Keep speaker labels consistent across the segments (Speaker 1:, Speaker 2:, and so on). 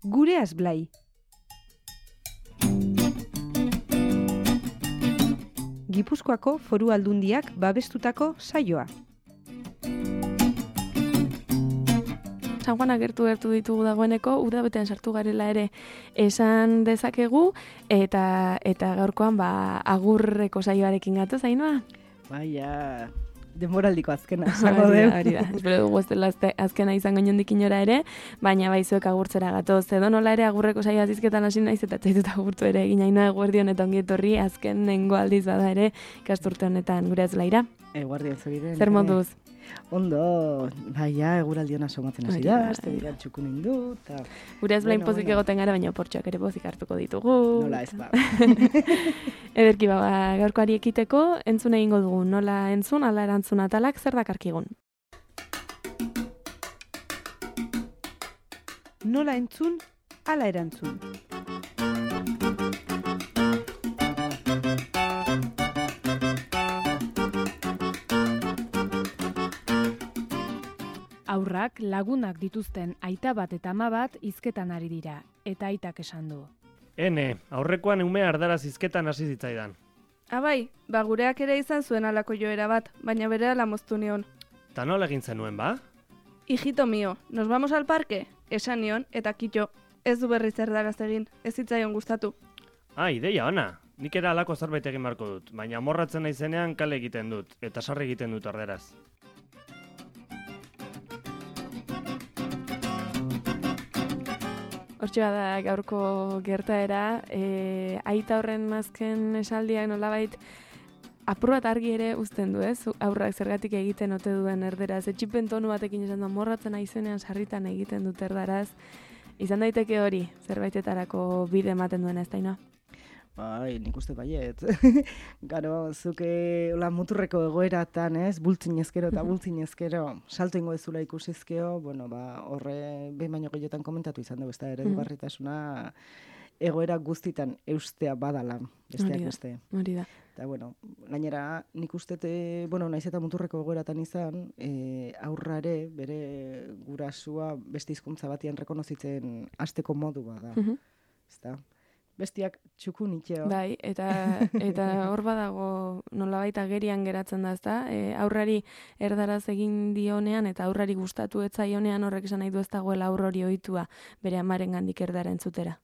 Speaker 1: Gure Azblai. Gipuzkoako Foru Aldundiak babestutako saioa.
Speaker 2: San Juana gertu ditugu dagoeneko, udabetean sartu garela ere esan dezakegu, eta gaurkoan agurreko saioarekin gatoz, Ainhoa?
Speaker 3: Baina, denboraldiko azkena, esango deu.
Speaker 2: Hori da, espero dugu ez dela azkena izango inondik inora ere, baina baizuek agurtzera gatoz. Edo nola ere agurreko saioa azizketan hasi naiz eta txaitut agurtu ere egin, Ainhoa, eguerdion eta ongi etorri, azken nengo aldiz bada ere ikasturte honetan gure Azblaira.
Speaker 3: Eguerdion zuriren.
Speaker 2: Zer moduz?
Speaker 3: Ondo, baina eguraldion asomatzen hasi da, azte dira txukun indu.
Speaker 2: Gure Azblain pozik egoten gara, baina portxoak ere pozik hartuko ditugu.
Speaker 3: Nola ez ba.
Speaker 2: Ederki gaurkoari ekiteko, entzun egingo dugu, nola entzun, ala erantzun atalak, zer dakarkigun?
Speaker 1: Nola entzun, ala erantzun.
Speaker 4: Aurrak lagunak dituzten aita bat eta ama bat hizketan ari dira, eta aitak esan du.
Speaker 5: Aurrekoan umea ardaraz hizketan hasi zitzaidan.
Speaker 6: Abai, gureak ere izan zuen alako joera bat, baina berehala moztu nion.
Speaker 5: Ta nola egin zenuen, ba?
Speaker 6: Hijito mio, nos vamos al parque? Esan nion, eta kitxo, ez du berriz erdaraz egin, ez zitzaion gustatu.
Speaker 5: Ideia ona, nik era alako zerbait egin beharko dut, baina amorratzen naizenean kale egiten dut, eta sarri egiten dut arderaz.
Speaker 2: Hortxe bada gaurko gertaera, aita horren azken esaldiak nolabait apur bat argi ere uzten du, ez? Aurrak zergatik egiten ote duen erderaz. Etxipen tonu batekin esan da, morratzen aizenean sarritan egiten dut erdaraz. Izan daiteke hori, zerbaitetarako bide ematen duena, ez da, Ainhoa?
Speaker 3: Bai, nik uste baiet. Garo, zuke muturreko egoeratan, ez? Bultzin ezkero eta bultzin ezkero salto ingo ezula ikusizkeo, horre behin baino gehiotan komentatu izan dugu, ez da, eredugarritasuna egoera guztitan eustea badala, besteak beste.
Speaker 2: Hori da.
Speaker 3: Eta, gainera, nik uste, naiz eta muturreko egoeratan izan, aurrare, bere gurasua beste hizkuntza batian rekonozitzen hasteko modu bada. Ezta? Bestiak txukun itxeo.
Speaker 2: Bai, eta hor badago nolabait agerian geratzen da, ezta? Aurrari erdaraz egin dionean eta aurrari gustatu ez zaionean horrek esan nahi du ez dagoela aur hori ohitua bere amarengandik erdara entzutera.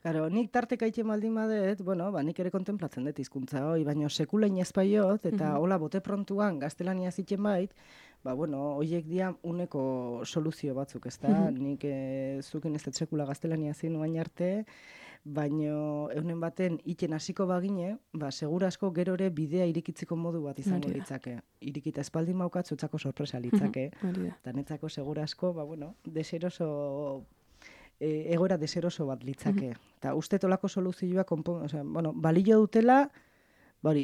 Speaker 3: Claro, nik tarteka ite maldin badet, nik ere kontemplatzen dut hizkuntza hori, baina sekulain ez baiot, eta hola bote prontuan gaztelania zitzen bait, horiek dia uneko soluzio batzuk, ezta? Nik zukin ez dut sekula gaztelania zin oain arte, baina eunen baten iten hasiko bagine, segura asko gero ere bidea irikitzeko modu bat izango litzake. Irikita espaldin maukat zutzako sorpresa litzake. Eta netzako segura asko, deseroso egoera deseroso bat litzake. Eta uste tolako soluzioa balio dutela,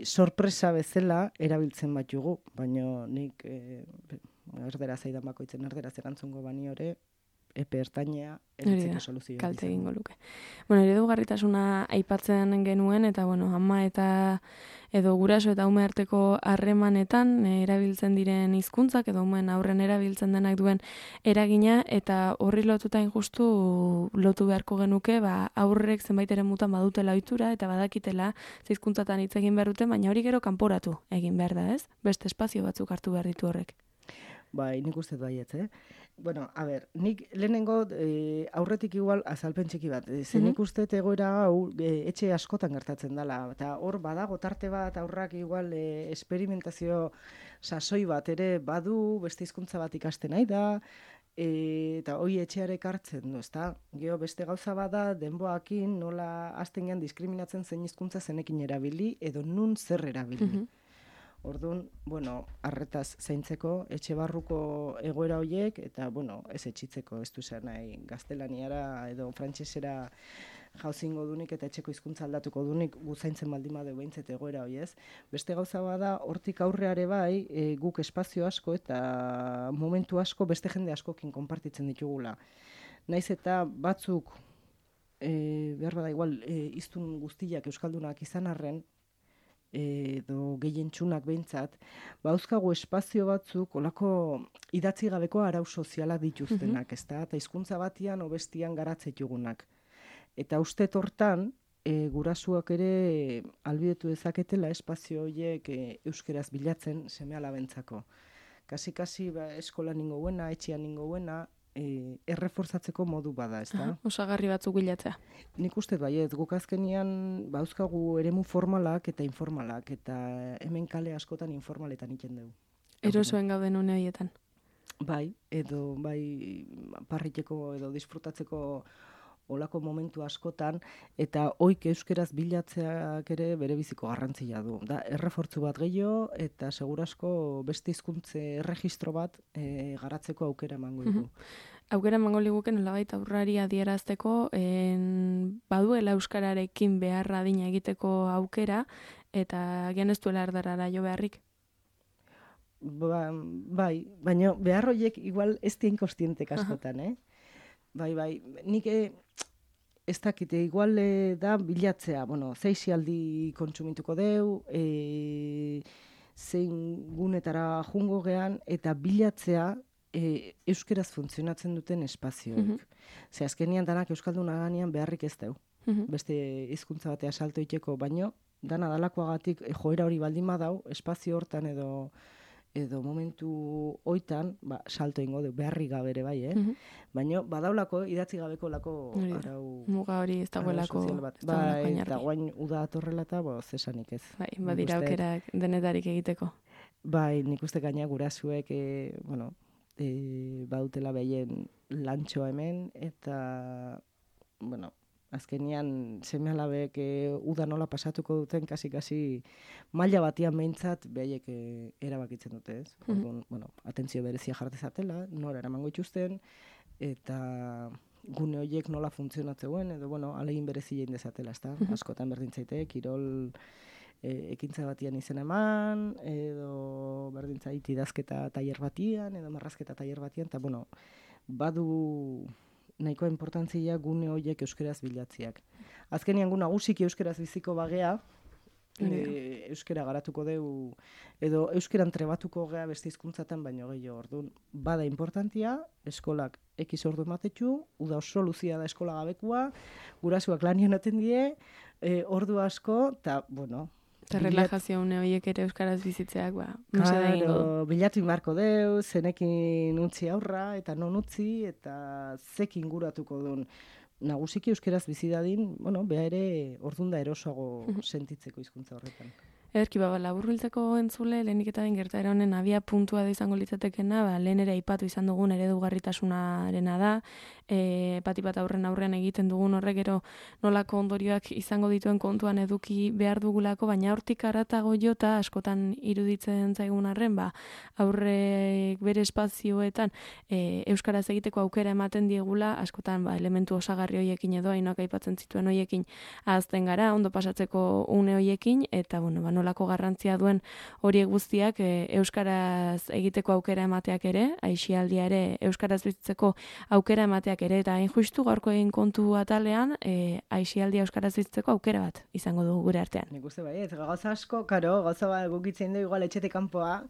Speaker 3: sorpresa bezala erabiltzen bat jugu, baina nik erderaz aidan bakoitzen erderaz erantzungo bani hori, epe ertainea eritzeko soluzioa.
Speaker 2: Kalte egingo luke. Eredugarritasuna aipatzen genuen, eta ama eta edo guraso eta ume arteko harremanetan erabiltzen diren hizkuntzak edo umeen aurren erabiltzen denak duen eragina, eta horri lotuta injustu lotu beharko genuke, aurrek zenbait ere mutan badutela ohitura eta badakitela hizkuntzatan hitz egin behar dute, baina hori gero kanporatu egin behar da, ez? Beste espazio batzuk hartu behar ditu horrek.
Speaker 3: Bai, nik uste baiet, nik lehenengo aurretik igual azalpen txiki bat. Nik uste egoera hau etxe askotan gertatzen dela. Eta hor badago tarte bat aurrak igual esperimentazio sasoi bat ere badu, beste hizkuntza bat ikasten nahi da, eta hoi etxearek hartzen du, ezta? Gero beste gauza bada denboakin nola hasten gean diskriminatzen zein hizkuntza zenekin erabili edo nun zer erabili. Orduan, arretaz zaintzeko, etxe barruko egoera horiek, eta, ez etxitzeko, ez du zer nahi, gaztelaniara edo frantsesera jauzingo dunik eta etxeko hizkuntza aldatuko dunik zaintzen baldin badeu behintzet egoera hori ez. Beste gauza bada, hortik aurreare bai, guk espazio asko eta momentu asko beste jende askokin konpartitzen ditugula. Naiz eta batzuk, behar bada igual, hiztun guztiak euskaldunak izan arren, edo gehien txunak behintzat, bauzkagu espazio batzuk olako idatzi gabeko arau soziala dituztenak, ezta? Eta hizkuntza batian obestian garatzetugunak. Eta uste hortan, gurasuak ere albidetu dezaketela espazio horiek euskeraz bilatzen seme-alabentzako. Kasi eskola ningo buena, etxean ningo buena, erreforzatzeko modu bada, ezta?
Speaker 2: Osagarri batzuk bilatzea.
Speaker 3: Nik uste baiet, guk azkenian bauzkagu eremu formalak eta informalak, eta hemen kale askotan informaletan iten dugu.
Speaker 2: Erosoen gauden une horietan.
Speaker 3: Bai, edo bai parriteko edo disfrutatzeko olako momentu askotan, eta oik euskeraz bilatzeak ere bere biziko garrantzia du. Da, errefortzu bat gehiago, eta segurasko beste hizkuntze erregistro bat garatzeko aukera emango dugu.
Speaker 2: Aukera emango liguke nolabait aurrari adierazteko, baduela euskararekin beharra adina egiteko aukera, eta agian ez duela erdarara jo beharrik.
Speaker 3: Bai, baina behar horiek igual ez dien kostientek askotan, Bai, nik ez dakite, igual da bilatzea, zeixialdi kontsumituko deu, zein gunetara jungo gean, eta bilatzea euskeraz funtzionatzen duten espazioek. Ze azkenian danak euskalduna ganean beharrik ez deu. Beste hizkuntza batea salto iteko, baino, dana dalakoagatik joera hori baldin badau, espazio hortan edo momentu hoitan, salto ingo du, beharri gabere bai, baina badaulako idatzi gabeko lako arau...
Speaker 2: Muga hori ez dagoelako...
Speaker 3: Bai, eta guain uda atorrela eta zesanik ez.
Speaker 2: Bai, badira aukerak denetarik egiteko.
Speaker 3: Bai, nik uste gaina gurasuek, badutela behien lantxoa hemen, eta, azkenian seme-alabek uda nola pasatuko duten kasi maila batian behintzat behaiek erabakitzen dute, ez? Atentzio berezia jartezatela, nora eramango ituzten, eta gune horiek nola funtzionatzeuen, edo, alegin berezia indezatela, ezta? Askotan berdintzaite, kirol ekintza batian izen eman, edo berdintzait idazketa tailer batian, edo marrazketa tailer batian, eta, badu nahikoa importantzia gune horiek euskeraz bilatziak. Azkenian gu nagusiki euskeraz biziko bagea, euskera garatuko deu, edo euskeran trebatuko gea beste hizkuntzatan baino gehiago orduan. Bada importantia, eskolak ekiz ordu ematetxu, uda oso luzia da eskola gabekua, gurasuak lanian atendie, ordu asko, eta,
Speaker 2: eta relajazio une horiek ere euskaraz bizitzeak,
Speaker 3: bilatu inbarko deu, zenekin utzi aurra, eta non utzi, eta zekin guratuko duen. Nagusiki euskeraz bizi dadin, beha ere ordunda erosoago sentitzeko hizkuntza horretan.
Speaker 2: Ederki, laburbiltzeko entzule, lehenik eta den gertaera honen abia puntua da izango litzatekena, lehen ere aipatu izan dugun eredugarritasunarena da, bat aurren egiten dugun horrek gero nolako ondorioak izango dituen kontuan eduki behar dugulako, baina hortik haratago jota askotan iruditzen zaigun arren, aurrek bere espazioetan euskaraz egiteko aukera ematen diegula, askotan elementu osagarri hoiekin edo hainoak aipatzen zituen hoiekin ahazten gara, ondo pasatzeko une hoiekin, eta nolako garrantzia duen horiek guztiak euskaraz egiteko aukera emateak ere, aisialdia ere euskaraz bizitzeko aukera emateak ere, eta hain justu gaurko egin kontu atalean, aisialdia euskaraz bizitzeko aukera bat izango dugu gure artean.
Speaker 3: Nik uste ez gauza asko, gauza gukitzen dugu igual etxetik kanpoa,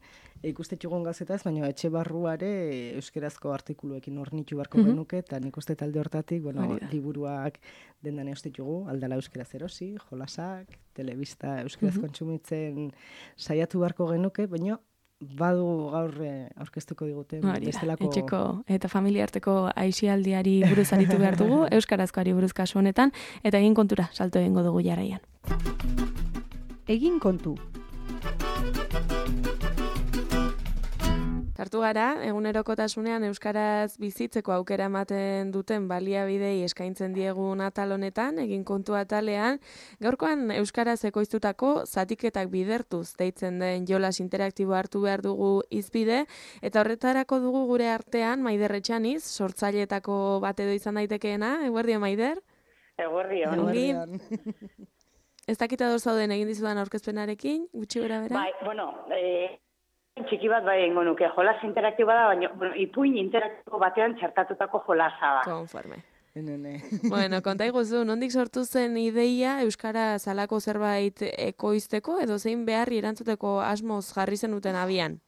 Speaker 3: ikustetxugun gauzetaz, baina etxe barruare euskerazko artikuluekin ornitu barko genuke, eta nik uste talde hortatik, liburuak dendan eustetxugu, aldala euskeraz erosi, jolasak, telebista euskeraz kontsumitzen saiatu barko genuke, baina badu gaur aurkeztuko digute.
Speaker 2: Etxeko eta familia arteko aisialdiari buruz aritu behar dugu, euskarazkoari buruz kasu honetan, eta egin kontura, salto egingo dugu jarraian.
Speaker 1: Egin kontu.
Speaker 2: Sartu gara, egunerokotasunean euskaraz bizitzeko aukera ematen duten baliabidei eskaintzen diegun atal honetan, egin kontu atalean, gaurkoan euskaraz ekoiztutako zatiketak bidertuz deitzen den jolas interaktibo hartu behar dugu izbide, eta horretarako dugu gure artean Maider Etxaniz, sortzaileetako bat edo izan daitekeena, eguerdio Maider?
Speaker 7: Eguerdio.
Speaker 2: Ez dakita zauden egin dizudan aurkezpenarekin, gutxi bera bera?
Speaker 7: Bai, txiki bat bai ingo nuke, jolas interaktiboa da, baina ipuin interaktibo batean txertatutako jolasa da.
Speaker 2: Konforme. Bueno, konta iguzu, nondik sortu zen ideia Euskara zalako zerbait ekoizteko edo zein beharri erantzuteko asmoz jarri zenuten abian?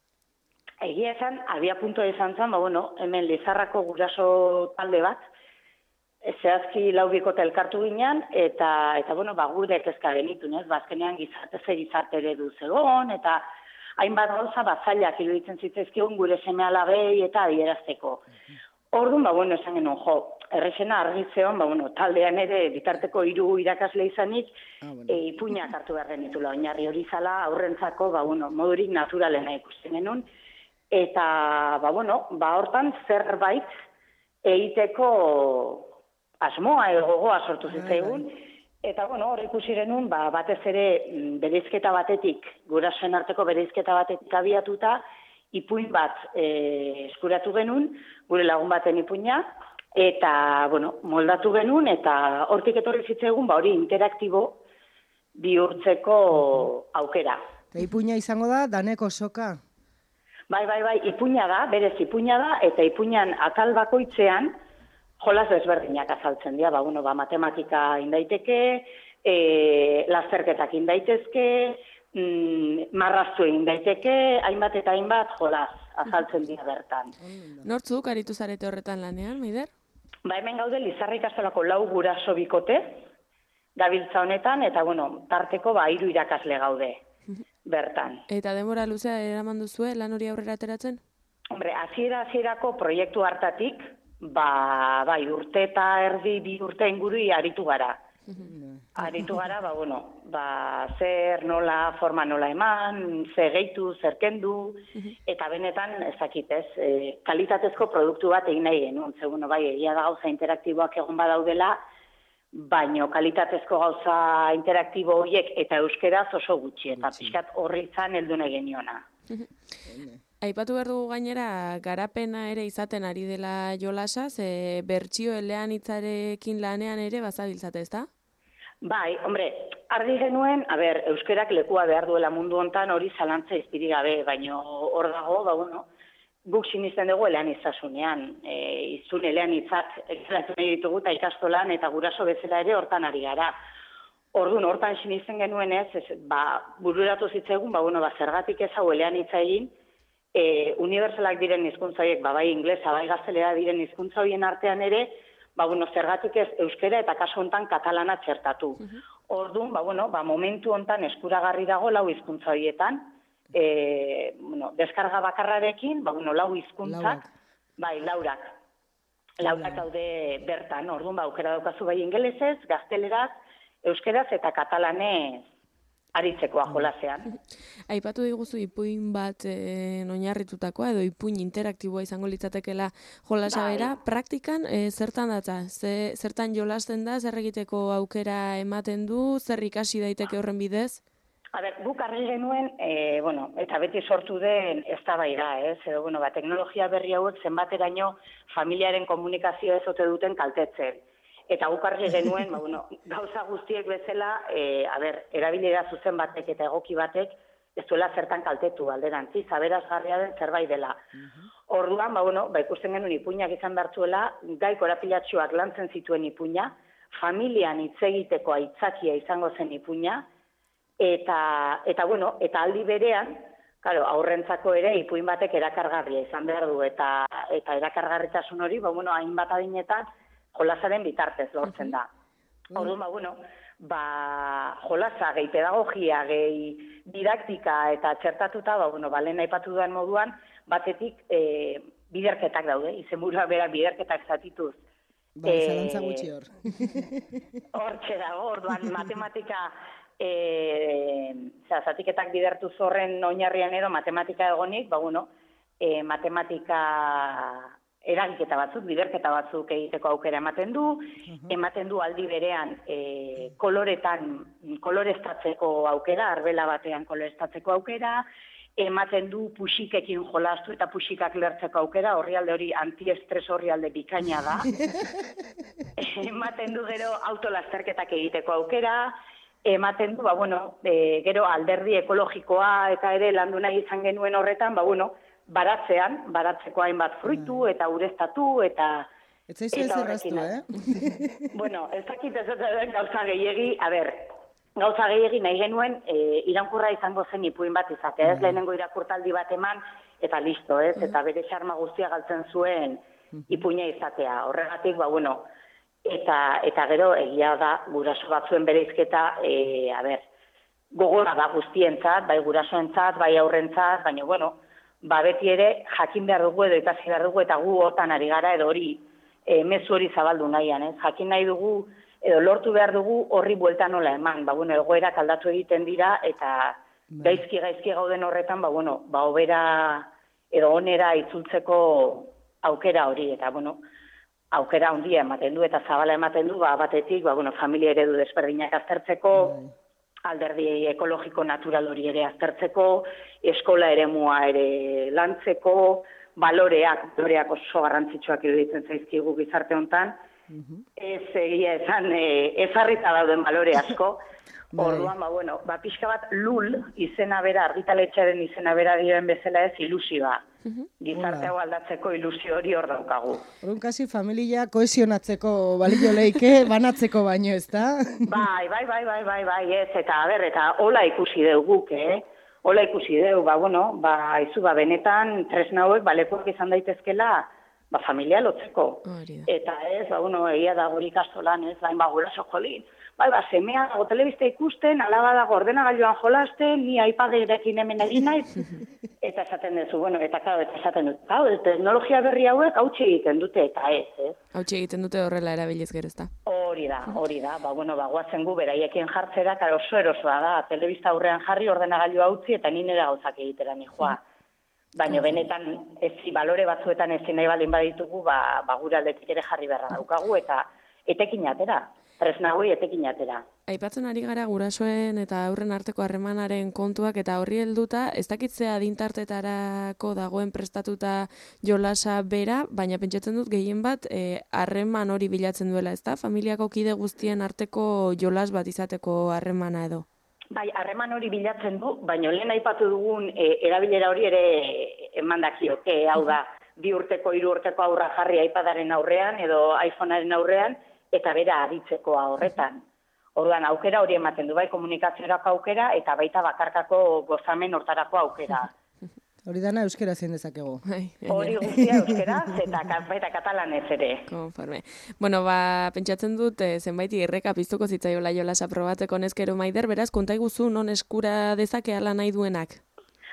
Speaker 7: Egia esan, abia puntua izan zen, hemen Lizarrako guraso talde bat, zehazki 4 bikote elkartu ginen, eta gure kezka genitun, ez? Bazkenean gizarte eredu zegoen, eta hainbat gauza zailak iruditzen zitzaizkigun gure seme alabei eta adierazteko. Orduan, esan genuen, errexena argitzeon, taldean ere bitarteko 3 irakasle izanik, ipuinak hartu behar genitula, oinarri hori zala aurrentzako, modurik naturalena ikusten genuen, eta, hortan zerbait egiteko asmoa gogoa sortu zitzaigun, eta, hor ikusi genuen, batez ere bereizketa batetik, gurasoen arteko bereizketa batetik abiatuta, ipuin bat eskuratu genuen, gure lagun baten ipuina, eta, moldatu genuen, eta hortik etorri zitzaigun, hori interaktibo bihurtzeko aukera.
Speaker 3: Ipuina izango da, daneko soka?
Speaker 7: Bai, ipuina da, berez ipuina da, eta ipuinan atal bakoitzean jolas desberdinak azaltzen dira, matematika indaiteke, lasterketak indaitezke, marraztu indaiteke, hainbat eta hainbat jolas azaltzen dira bertan.
Speaker 2: Nortzuk aritu zarete horretan lanean, Maider?
Speaker 7: Hemen gaude Lizarra ikastolako 4 guraso bikote, gabiltza honetan, eta tarteko 3 irakasle gaude. Bertan.
Speaker 2: Eta denbora luzea eraman duzue lan hori aurrera ateratzen?
Speaker 7: Hombre, hasierako proiektu hartatik, urte eta erdi 2 urte inguru aritu gara. Aritu gara, zer, nola, forma nola eman, zer gehitu, zer kendu, eta benetan, ezakitez, kalitatezko produktu bat egin nahi genuen. Segun, egia da gauza interaktiboak egon badaudela, baino kalitatezko gauza interaktibo horiek eta euskeraz oso gutxi, eta pixkat horri izan heldu nahi geniona.
Speaker 2: Aipatu behar dugu gainera, garapena ere izaten ari dela jolasa, bertsio eleanitzarekin lanean ere bazabiltzate, ezta?
Speaker 7: Bai, hombre, argi genuen, euskerak lekua behar duela mundu hontan hori zalantza izpirik gabe, baino hor dago, guk sinisten dugu eleanitzasunean, izun eleanitzak egiten nahi ditugu eta ikastolan eta guraso bezala ere hortan ari gara. Orduan, hortan sinisten genuen bururatu zitzaigun, zergatik ez hau eleanitza egin, unibertsalak diren hizkuntza horiek, bai inglesa, bai gaztelera diren hizkuntza horien artean ere, zergatik ez euskera eta kasu hontan katalana txertatu. Orduan, momentu hontan eskuragarri dago 4 hizkuntza horietan, deskarga bakarrarekin, 4 hizkuntzak, laurak daude bertan, orduan, aukera daukazu bai ingelesez, gazteleraz, euskeraz eta katalanez aritzekoa jolasean.
Speaker 2: Aipatu diguzu ipuin bat oinarritutakoa edo ipuin interaktiboa izango litzatekela jolasa bera, praktikan zertan datza? Zertan jolasten da, zer egiteko aukera ematen du, zer ikasi daiteke horren bidez?
Speaker 7: Guk argi genuen, eta beti sortu den eztabaida, edo, teknologia berri hauek zenbateraino familiaren komunikazio ez ote duten kaltetzen. Eta guk argi genuen, gauza guztiek bezala, erabilera zuzen batek eta egoki batek ez duela zertan kaltetu alderantziz, aberasgarria den zerbait dela. Orduan, ikusten genuen ipuinak izan bertzuela, gai korapilatsuak lantzen zituen ipuina, familian hitz egiteko aitzakia izango zen ipuina, eta aldi berean, aurrentzako ere ipuin batek erakargarria izan behar du, eta erakargarritasun hori, hainbat adinetan jolasaren bitartez lortzen da. Orduan, jolasa, gehi pedagogia, gehi didaktika eta txertatuta, lehen aipatu duan moduan, batetik biderketak daude, izenburua berak biderketak zatituz.
Speaker 3: Zalantza gutxi hor.
Speaker 7: Hortxe dago, orduan matematika, zatiketak bidertu zorren oinarrian edo matematika egonik, matematika eragiketa batzuk, biderketa batzuk egiteko aukera ematen du aldi berean koloreztatzeko aukera, arbela batean koloreztatzeko aukera, ematen du puxikekin jolastu eta puxikak lertzeko aukera, orrialde hori antiestres orrialde bikaina da. Ematen du gero autolasterketak egiteko aukera, ematen du, gero alderdi ekologikoa eta ere landu nahi izan genuen horretan, baratzeko hainbat fruitu eta ureztatu eta
Speaker 3: Ez zaizu ez erraztu,
Speaker 7: Bueno, ez dakit ez dut gauza gehiegi, gauza gehiegi nahi genuen iraunkurra izango zen ipuin bat izatea, ez lehenengo irakurtaldi bat eman, eta listo, ez, eta bere xarma guztia galtzen zuen ipuina izatea. Horregatik, eta gero egia da guraso batzuen bereizketa, gogora da guztientzat, bai gurasoentzat, bai aurrentzat, baina, beti ere jakin behar dugu edo ikasi behar dugu eta gu hortan ari gara edo hori mezu hori zabaldu nahian, ez? Jakin nahi dugu edo lortu behar dugu horri buelta nola eman, egoerak aldatu egiten dira eta gaizki gauden horretan, obera edo onera itzultzeko aukera hori, eta aukera handia ematen du eta zabala ematen du, batetik, familia eredu desberdinak aztertzeko, alderdi ekologiko natural hori ere aztertzeko, eskola eremua ere lantzeko, baloreak oso garrantzitsuak iruditzen zaizkigu gizarte hontan, ez egia esan ezarrita dauden balore asko, orduan, pixka bat lul izena bera, argitaletxearen izena bera diren bezala ez ilusioa. Gizarte hau aldatzeko ilusio hori hor daukagu.
Speaker 3: Horun kasi familia kohesionatzeko balio leike, banatzeko baino, ez da?
Speaker 7: Bai, ez, eta hola ikusi dugu, Hola ikusi dugu, benetan tresna hauek balekuak izan daitezkela, familia lotzeko. Eta ez, egia da guri ikastolan, ez, guraso jolin. Semea dago telebista ikusten, alaba dago ordenagailuan jolasten, ni iPaderekin hemen egin naiz. Eta esaten duzu, eta esaten dut, teknologia berri hauek hautsi egiten dute, eta ez.
Speaker 2: Hautsi egiten dute horrela erabiliz gero, ezta?
Speaker 7: Hori da. Guazen gu beraiekin jartzera, oso erosoa da, telebista aurrean jarri ordenagailua utzi, eta ni nire gauzak egitera nijoa. Baina benetan, balore batzuetan ezin nahi baldin baditugu, gure aldetik ere jarri beharra daukagu, eta etekin atera. Tresnagoi etekin atera.
Speaker 2: Aipatzen ari gara gurasoen eta aurren arteko harremanaren kontuak eta horri helduta, ez dakitzea adintartetarako dagoen prestatuta jolasa bera, baina pentsatzen dut gehien bat harreman hori bilatzen duela, ezta? Familiako kide guztien arteko jolas bat izateko harremana edo.
Speaker 7: Bai, harreman hori bilatzen du, baina lehen aipatu dugun erabilera hori ere emandakioke, hau da, 2 urteko, 3 urteko aurra jarri iPadaren aurrean edo iPhonearen aurrean, eta bera aditzekoa horretan. Orduan, aukera hori ematen du, bai komunikaziorako aukera, eta baita bakarkako gozamen hortarako aukera.
Speaker 3: Hori dana euskera zein dezakegu.
Speaker 7: Hori guztia euskera, eta katalanez ere.
Speaker 2: Konforme. Pentsatzen dut, zenbait irreka piztuko zitzaiola jolasa probatzeko neskero Maider, beraz, konta iguzu non eskura dezake ala nahi duenak?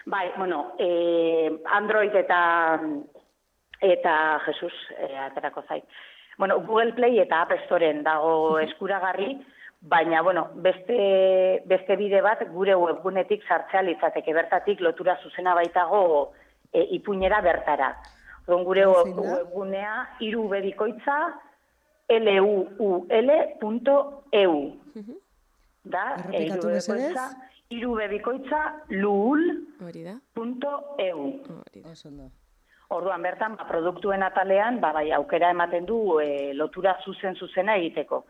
Speaker 7: Bai, Android eta Jesus, aterako zait. Google Play eta App Storeen dago eskuragarri, baina, beste bide bat gure webgunetik sartzea litzateke, bertatik lotura zuzena baitago ipuinera bertara. Gure webgunea irubebikoitza luul.eu. Da, irubebikoitza luul.eu. Orduan bertan, produktuen atalean, aukera ematen du lotura zuzena egiteko,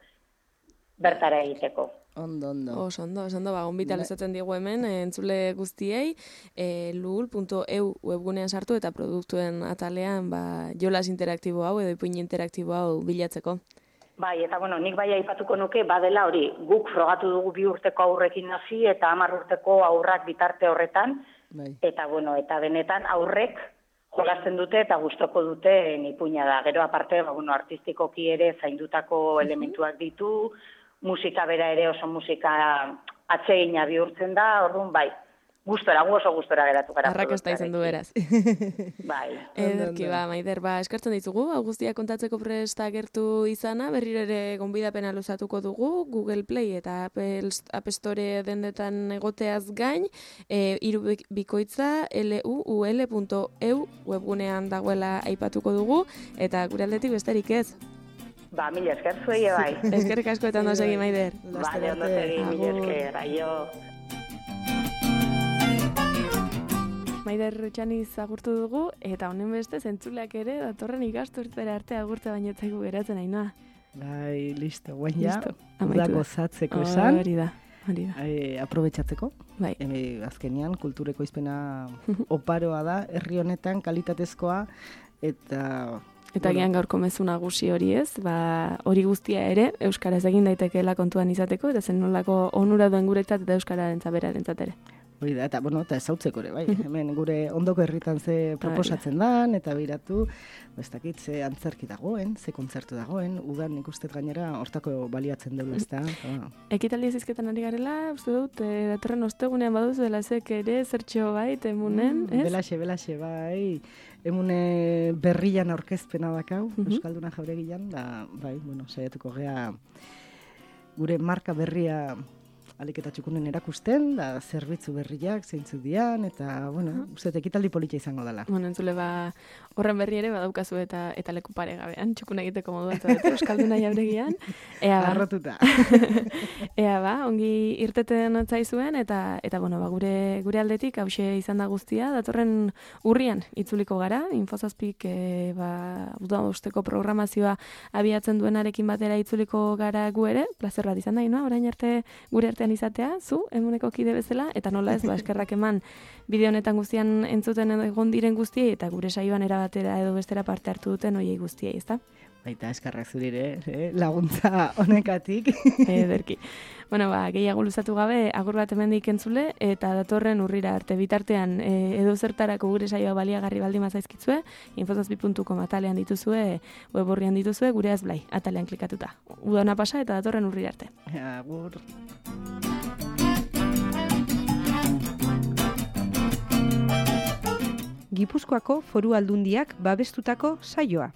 Speaker 7: bertara egiteko.
Speaker 2: Ondo. Oso ondo, gonbitalizatzen digu hemen, entzule guztiei, luul.eu webgunean sartu eta produktuen atalean jolas interaktibo hau edo ipuin interaktibo hau bilatzeko.
Speaker 7: Bai, eta nik aipatuko nuke, badela hori, guk frogatu dugu 2 urteko aurrekin hasi eta 10 urteko aurrak bitarte horretan, eta benetan aurrek jolasten dute eta gustoko dute ipuina da. Gero aparte, artistikoki ere zaindutako elementuak ditu, musika bera ere oso musika atsegina bihurtzen da, orduan oso gustora geratu gara.
Speaker 2: Arrakasta izan du beraz.
Speaker 7: Bai.
Speaker 2: Ederki Maider, eskertzen ditugu, guztia kontatzeko presta gertu izana, berriro ere gonbidapena luzatuko dugu, Google Play eta App Store dendetan egoteaz gain, irubikoitza luul.eu webgunean dagoela aipatuko dugu, eta gure aldetik besterik ez.
Speaker 7: Mila esker zuei bai.
Speaker 2: Eskerrik asko eta ondo segi, Maider.
Speaker 7: Bale, ondo segi, mila esker, aio.
Speaker 2: Maider Txaniz agurtu dugu, eta honen beste zentzuleak ere datorren ikasturtera arte agurtza bainetzaigu geratzen Ainhoa.
Speaker 3: Bai, listo, guen ja, udako zatzeko esan.
Speaker 2: Hori da.
Speaker 3: Aprobetxatzeko.
Speaker 2: Bai.
Speaker 3: Azkenean, kultureko izpena oparoa da, herri honetan kalitatezkoa, eta
Speaker 2: Eta gian gaurko mezu nagusi hori ez, hori guztia ere, euskaraz egin daitekeela kontuan izateko, eta zen nolako onura duen guretzat eta euskararen zaberarentzat ere.
Speaker 3: Hori da, eta ezautzeko ere, bai. Hemen gure ondoko herritan ze proposatzen dan, eta biratu, ez dakit, ze antzerki dagoen, ze kontzertu dagoen, udan nik uste gainera hortako baliatzen deula, ez da.
Speaker 2: Ekitaldi ezizketan ari garela, uste dut, datorren ostegunean baduzu dela zek ere, zertxo bai, emunen, ez?
Speaker 3: Belaxe, bai. Emune berrian aurkezpena dakau, Euskalduna Jauregian, da, bai, saiatuko gea gure marka berria aliketa txukunen erakusten, da zerbitzu berriak, zeintzuk dian, eta, uste ekitaldi polita izango dela.
Speaker 2: Entzule, horren berri ere badaukazu eta leku paregabean, txukun egiteko moduan zabetu, Euskalduna Jauregian.
Speaker 3: Arrotuta.
Speaker 2: Ongi irteten otzaizuen, eta gure aldetik hause izan da guztia, datorren urrian itzuliko gara, Infozazpik uda usteko programazioa abiatzen duenarekin batera itzuliko gara gu ere, plazer bat izan da, orain arte gure artean izatea, zu, emuneko kide bezala, eta nola ez, eskerrak eman bideo honetan guztian entzuten egon diren guztiei, eta gure saioan erabatera edo bestera parte hartu duten oiei guztiei, ezta?
Speaker 3: Baita, eskerrak zurire, laguntza honekatik.
Speaker 2: Ederki. Gehiago luzatu gabe, agur bat hemendik entzule, eta datorren urrira arte bitartean edo zertarako gure saioa baliagarri baldin mazaizkitzue, infozazpi.com atalean dituzue, web horrian dituzue, gure azblai, atalean klikatuta. Uda hona pasa eta datorren urrira arte.
Speaker 3: Agur.
Speaker 1: Gipuzkoako Foru Aldundiak babestutako saioa.